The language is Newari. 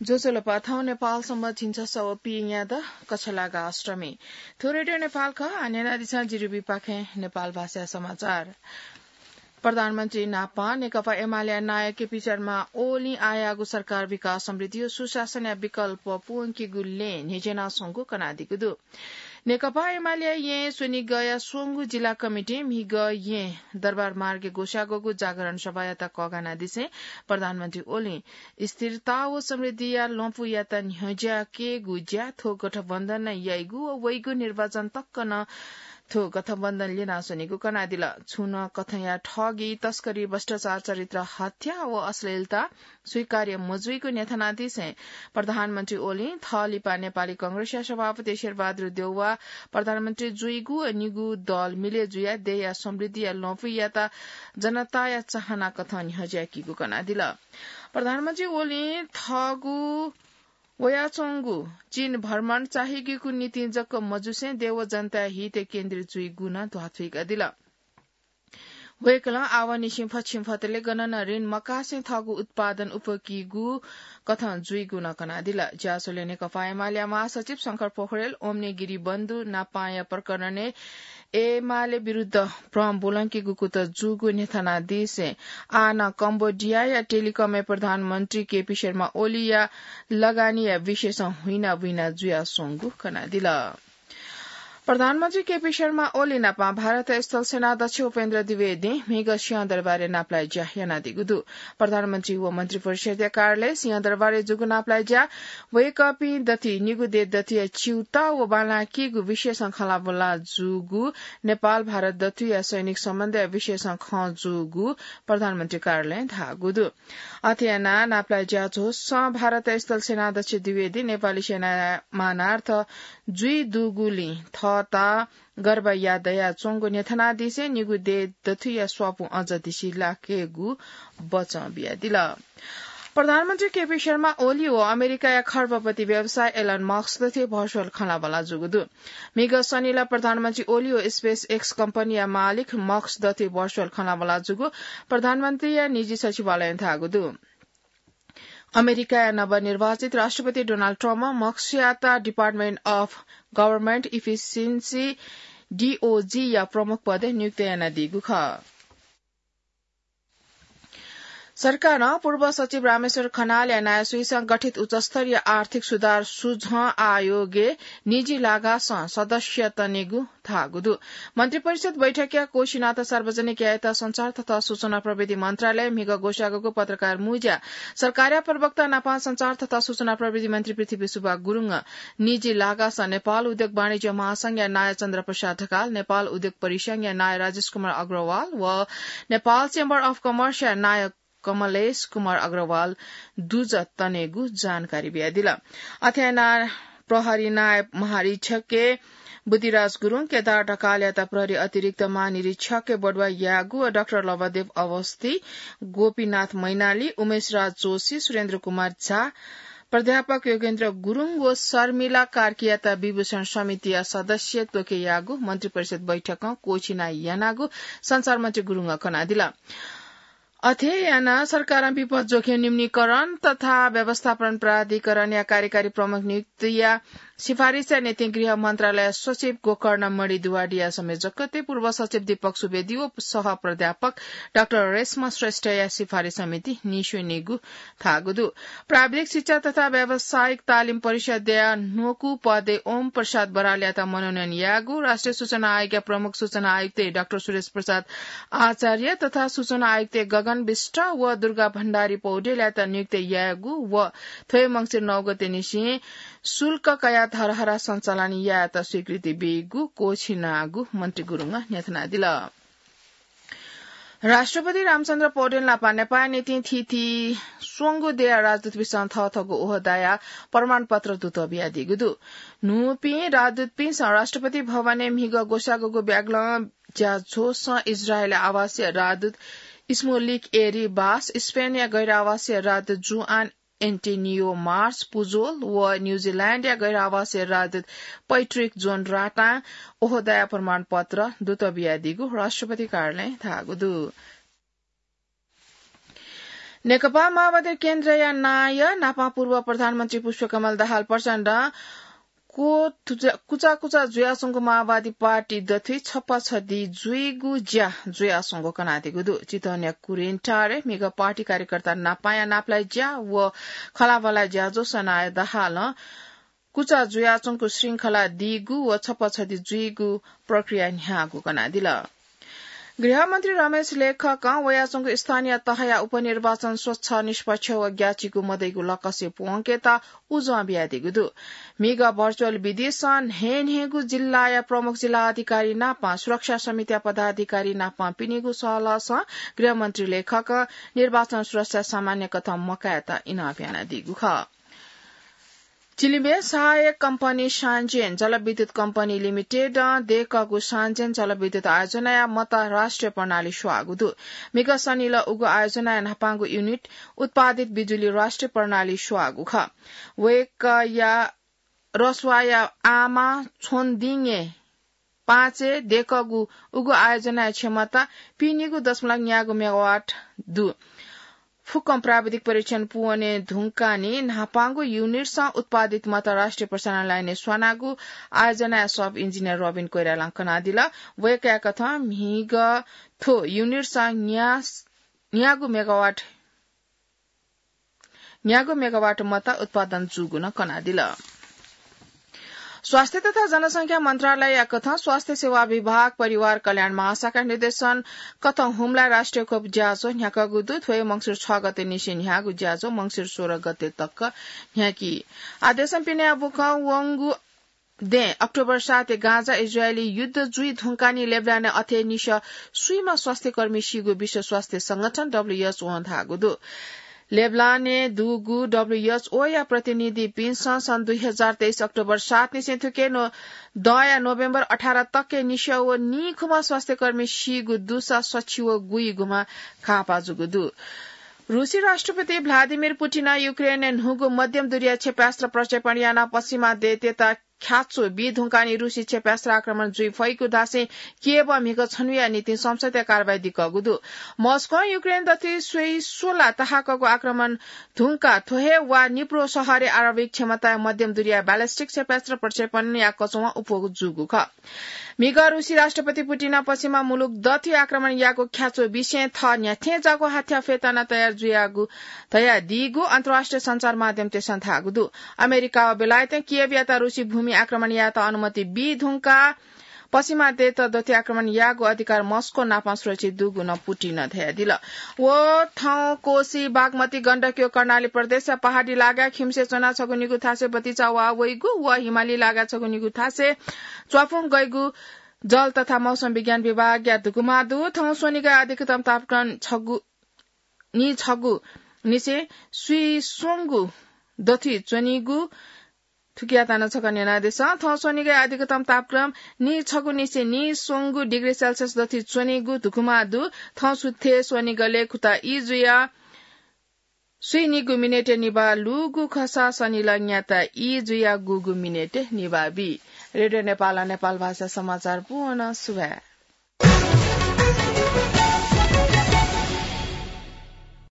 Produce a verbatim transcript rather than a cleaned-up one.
ज्वजलपा, थौं नेपाल संवत् झिंछसः व पीन्यादँ कछलागा अष्टमी। थ्व रेडियो नेपाल खः, आः न्यनादिसँ जिरिबीपाखें नेपाल भाषा समाचार। प्रधानमन्त्री नापं नेकपा एमालेया नायः केपी शर्मा ओलीं आःयागु सरकार विकास समृद्धि व सुशासनया विकल्प पूवंकीगु लँय् न्ह्यज्यानाच्वंगु कनादीगु दु। नेकपा एमालेया येँ स्वनिगःया स्वंगू जिल्ला कमिटिं म्हिगः येँ दरबार मार्गय् ग्वसाः ग्वःगु जागरण सभायात कःघानादिसें प्रधानमन्त्री ओलीं स्थिरता व समृद्धिया लँपुयात न्ह्यज्याकेगु ज्या थ्व गठबन्धनं याइगु व वइगु निर्वाचन तक नं थ्व गठबन्धन ल्यनाच्वनीगु कनादिल। छुं नं कथंया ठगी, तस्करी, भ्रष्टाचार, चरित्र हत्या व अश्लीलता स्वीकार्य मजुइगु न्ह्यथनादिसें प्रधानमन्त्री ओलीं थः लिपा नेपाली कांग्रेसया सभापति शेरबहादुर देउवा, प्रधानमन्त्री जुइगु व निगू दल मिले जुयाः देय्‌या समृद्धिया लँपुयात जनताया चाहना कथं न्ह्यज्याकीगु कनादिल। प्रधानमन्त्री ओलीं थःगु वयाच्वंगु चीन भ्रमण चाःहिगेगु निंतिं जक मजुसें देय् व जनताया हितय् केन्द्रित जुइगु नं ध्वाथुइकादिल। वय्‌कलं आवंनिसें फछिंफतले गनं नं ऋण मकासें थःगु उत्पादन उप्वकीगु कथं जुइगु नं कनादिल। ज्याझ्वलय् नेकपा एमालेया महासचिव शंकर पोखरेल, ओम्ने गिरिबन्धु नापांया प्रकरणय् एमाले विरुद्ध भ्रम ब्वलंकीगु कुतः जूगु न्ह्यथनादिसें आः नं कम्बोडियाया टेलिकमय् प्रधानमन्त्री केपी शर्मा ओलीया लगानीया विषयसं हुइनाबुइना जुयाच्वंगु कनादिल। प्रधानमन्त्री केपी शर्मा ओली नापं भारतया स्थल सेनाध्यक्ष उपेन्द्र द्विवेदीं म्हिगः सिंहदरबारय् नापलाये ज्या यानादीगु दु। प्रधानमन्त्री व मन्त्रिपरिषदया कार्यालय सिंहदरबारय् जूगु नापलाये ज्या वय्‌कःपिं दथुइ निगू देय् दथुया च्यूताः व बांलाकेगु विषयसं खँल्हाबल्हा जूगु, नेपाल भारत दथुया सैनिक सम्बन्धया विषयसं खँ जूगु प्रधानमन्त्री कार्यालयं धाःगु दु। अथे यानाः नापलाये ज्या झ्वलय् भारतया स्थल सेनाध्यक्ष द्विवेदीं नेपाली सेनाया मानार्थ जुइ दुगुलिं थःत गर्व याये दयाच्वंगु न्ह्यथनादिसें निगू देय् दथुया स्वापू अझ दिसिलाकेगु बचं बियादिल। प्रधानमन्त्री केपी शर्मा ओली व अमेरिकाया खर्बपति व्यवसायी एलन मस्क दथुइ भर्चुअल खँल्हाबल्हा जूगु दु। म्हिगः शनिला प्रधानमन्त्री ओली व SpaceX कम्पनीया मालिक मस्क दथुइ भर्चुअल खँल्हाबल्हा जूगु प्रधानमन्त्रीया निजी सचिवालयं धाःगु दु। अमेरिकाया नवनिर्वाचित राष्ट्रपति डोनाल्ड ट्रम्पं मस्कयात Department of Government Efficiency, DOG या प्रमुख पदय् नियुक्त यानादीगु खः। सरकारं पूर्व सचिव रामेश्वर खनालया नायःसुइसं गठित उच्चस्तरीय आर्थिक सुधार सुझं आयोगय् निजी लागासं सदस्य तनेगु धाःगु दु। मन्त्रिपरिषद बैठकया कोशी नाता सार्वजनिक यायेत सञ्चार तथा सूचना प्रविधि मन्त्रालयं म्हिगः ग्वसाःगु पत्रकार मुँज्या सरकारया प्रवक्ता नापं सञ्चार तथा सूचना प्रविधि मन्त्री पृथ्वी सुब्बा गुरुङं निजी लागासं नेपाल उद्योग वाणिज्य महासंघया नायः चन्द्र प्रसाद ढकाल, नेपाल उद्योग परिसंघया नायः राजेश कुमार अग्रवाल व नेपाल Chamber of Commerce या नायः कमलेश कुमार अग्रवाल दुजः तनेगु जानकारी बियादिल। अथे यानाः प्रहरी नायः महारीक्षक बुद्धिराज गुरुङ, केदार ढकालयात प्रहरी अतिरिक्त महानिरीक्षक बढुवा याःगु व डाक्टर लवदेव अवस्थी, गोपीनाथ मैनाली, उमेश राज जोशी, सुरेन्द्र कुमार झा, प्राध्यापक योगेन्द्र गुरुङ व शर्मिला कार्कीयात विभूषण समितिया सदस्य त्वके याःगु मन्त्रिपरिषद बैठकं क्वःछिना यानागु सञ्चार मन्त्री गुरुङं कनादिल। अथे यानाः सरकारं विपद जोखिम न्यूनीकरण तथा व्यवस्थापन प्राधिकरणया कार्यकारी प्रमुख नियुक्तिया सिफारिसया निंतिं गृह मन्त्रालय सचिव गोकर्ण मणि द्विवेदीया संयोजकत्वय् पूर्व सचिव दीपक सुवेदी व सह प्राध्यापक डाक्टर रेशमा श्रेष्ठया सिफारिस समिति नीस्वनीगु धाःगु दु। प्राविधिक शिक्षा तथा व्यावसायिक तालिम परिषदया न्वकू पदय् ओम प्रसाद बरालयात मनोनयन याःगु, राष्ट्रिय सूचना आयोगया प्रमुख सूचना आयुक्त डाक्टर सुरेश प्रसाद आचार्य तथा सूचना आयुक्त गगन विष्ट व दुर्गा भण्डारी पौडेलयात नियुक्त याःगु व थ्व हे मंसिर नौ गतेनिसें शुल्क कयाः धरहरा सञ्चालन यायेत स्वीकृति बीगु क्वःछिनागु मन्त्री गुरुङं न्ह्यथनादिल। राष्ट्रपति रामचन्द्र पौडेल नापं नेपाःया निंतिं थीथी स्वंगू देय्‌या राजदूतपिन्सं थःथःगु ओहदाया प्रमाणपत्र दुतः बियादीगु दु। न्हूपिं राजदूतपिन्सं राष्ट्रपति भवनय् म्हिगः ग्वसाःगु ब्यागलं ज्याझ्वलय् इजरायलया आवासीय राजदूत इस्मोलिक एरी बास, स्पेनया गैर आवासीय राजदूत जुआन एन्टिनियो मार्स पुजोल व न्यूजिल्याण्डया गैर आवासीय राजदूत पैट्रिक जोन राटां ओहदाया प्रमाणपत्र दुतः बियादीगु राष्ट्रपति कार्यालयं धाःगु दु। नेकपा माओवादी केन्द्रया नायः नापं पूर्व प्रधानमन्त्री पुष्पकमल दाहाल प्रचण्डं कुचा कुचा जुयाच्वंगु माओवादी पार्टी दथुइ छप्पा छधि जुइगु ज्या जुयाच्वंगु कनादीगु दु। चितवनया कुरेन्टारे म्हिगः पार्टी कार्यकर्ता नापाया नापलाइ ज्या व खँल्हाबल्हाइ ज्याझ्वः सनाः दाहालं कुचा जुयाच्वंगु श्रृंखला दीगु व छप्पा छधि जुइगु प्रक्रिया न्ह्याःगु कनादिल। गृहमन्त्री रमेश लेखकं वयाच्वंगु स्थानीय तहया उपनिर्वाचन स्वच्छ, निष्पक्ष व ग्याःचिकु मदइगु लक्ष्य प्वंकेत उजं बियादीगु दु। म्हिगः भर्चुअल विधिसं न्हय्न्हय्गु जिल्लाया प्रमुख जिल्ला अधिकारी नापं सुरक्षा समितिया पदाधिकारी नापं पिनिगु सहलहसं गृहमन्त्री लेखकं निर्वाचन सुरक्षा सामान्य कथं मकायेत इनाप यानादीगु खः। चिलिमय् सहायक कम्पनी सान्जेन जलविद्युत कम्पनी लिमिटेडं देकःगु सान्जेन जलविद्युत आयोजनाया मत राष्ट्रिय प्रणाली स्वाःगु दु। म्हिगः सनिलः उगु आयोजनाया न्हापांगु युनिट उत्पादित बिजुली राष्ट्रिय प्रणाली स्वाःगु खः। वय्कःया रसुवाया आमा छोन्दिङे पाँचय् देकःगु उगु आयोजनाया क्षमता पिनिगु दशमलव न्यागू मेगावाट दु। फुक्कं प्राविधिक परीक्षण पूवने धुंकाः न्हापांगु युनिटसं उत्पादित मत राष्ट्रिय प्रसारण लाइनय् स्वानागु आयोजनाया सब इन्जिनियर रबिन कोइरालां कनादिल। वय्कःया कथं म्हिगः थ्व युनिटसं न्या-, न्यागू मेगावाट न्यागू मेगावाट मत उत्पादन जूगु नं कनादिल। स्वास्थ्य तथा जनसंख्या मन्त्रालयया कथं स्वास्थ्य सेवा विभाग, परिवार कल्याण महाशाखा निर्देशन कथं हुम्लाय् राष्ट्रिय खोप ज्याझ्वः न्ह्याकागु दु। थ्व हे मंसिर छ गते निसें न्ह्याःगु ज्याझ्वः मंसिर सोह्र गते तक न्ह्याकी। आदेशं पिने बुखं वंगु दँय् अक्टोबर सातय् गाजा इजरायली युद्ध जुइ धुंकाः निं लेबनानय् अथे निसें स्वीम्ह स्वास्थ्यकर्मी सीगु विश्व स्वास्थ्य संगठन डब्ल्यूएचओं धाःगु दु। लेबनानय् दुगु डब्ल्यूएचओया प्रतिनिधिपिन्सं सन् दुई हजार तेइस अक्टोबर सात निसें थुके नो-, दँया नोभेम्बर अठार तकय् निसें व नीखुम्ह स्वास्थ्यकर्मी सीगु दुसा सछि व गुइगुम्ह घाःपाः जूगु दु। रूसी राष्ट्रपति भ्लादिमिर पुटिनं युक्रेनय् न्हूगु मध्यम दूरीया क्षेपयास्त्र प्रक्षेपण यानाः पश्चिमा देय्‌तय्‌त ख्याच्वः बी धुंकाः निं रूसी क्षेपयास्त्र आक्रमण जुइ फइगु धासें कियेवं म्हिगः छन्हुया निंतिं संसदीय कारवाही दिकःगु दु। मस्कों युक्रेन दथुइ स्वइ स्वला तहाकःगु आक्रमण धुंकाः थ्व हे वा निप्रो शहरय् आणविक क्षमताया मध्यम दूरीया ballistic क्षेपयास्त्र प्रक्षेपण याकःच्वं अप्वः जूगु खः। म्हिगः रूसी राष्ट्रपति पुटिनं पश्चिमा मुलुक दथुइ आक्रमण याःगु ख्याच्वः बिसें थः न्ह्याथें जाःगु हाथ्याः फ्यतुना तयार जुयागु धयादीगु अन्तर्राष्ट्रिय सञ्चार माध्यमतय्‌सं धाःगु दु। अमेरिका व बेलायतं कियेवयात रूसी भूमि आक्रमण यायेत अनुमति बी धुंकाः पश्चिमा देय्‌त दथुइ आक्रमण याःगु अधिकार मस्को नापं सुरक्षित दुगु नं पुटिनं धयादिल। व थौं कोसी, बागमती, गण्डकी व कर्णाली प्रदेशया पहाडी लागाय् खिउँसे च्वनाः छगू निगू थासय् बतिचा वाः वइगु व हिमाली लागाय् छगू निगू थासय् च्वापुं गइगु जल तथा मौसम विज्ञान विभागया धुकुमा दु। थौं स्वनिगः अधिकतम तापक्रम छगू, निं छगू निसें स्वीस्वंगू दथुइ च्वनीगु थुकियात नं छकः न्यनादिसँ। थौं स्वनिगः अधिकतम तापक्रम निं छगू निसें निं स्वंगू डिग्री सेल्सियस दथुइ च्वनीगु धुकुमा दु। थौं सुथय् स्वनिगलय् खुता ई जुयाः स्वीनिगू मिनेटय् निभाः लूगु खःसा सनिलः न्याता ई जुयाः गुगू मिनेटय् निभाः बी। रेडियो नेपालं नेपाल भाषा समाचार पूवं सुभाय्।